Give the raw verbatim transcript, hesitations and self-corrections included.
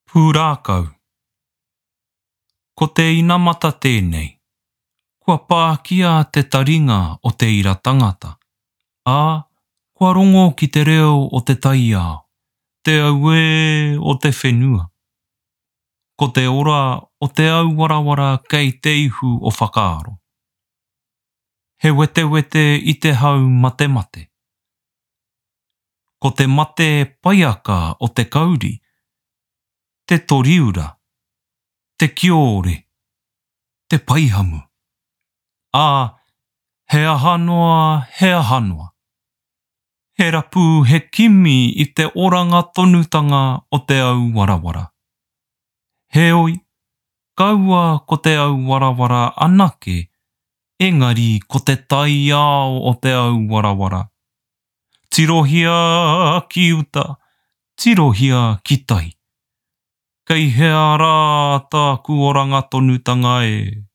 Pūrākau. Ko te inamata tēnei, kua pākia te taringa o te ira tangata. Ā, kua rongo ki te reo o te taiao, te aue o te whenua. Ko te ora o te au warawara kei te ihu o whakaaro. He wete wete i te hau mate mate. Ko te mate paiaka o te kauri, te toriura, te kiore, te paihamu. Ā, he ahanoa, he ahanoa. He rapu he kimi i te oranga tonutanga o te au warawara. Heoi, kaua ko te au warawara anake, engari ko te taiao o te au warawara. Tirohia ki uta, tirohia ki tai. Kei hea rā tāku oranga tonutanga e.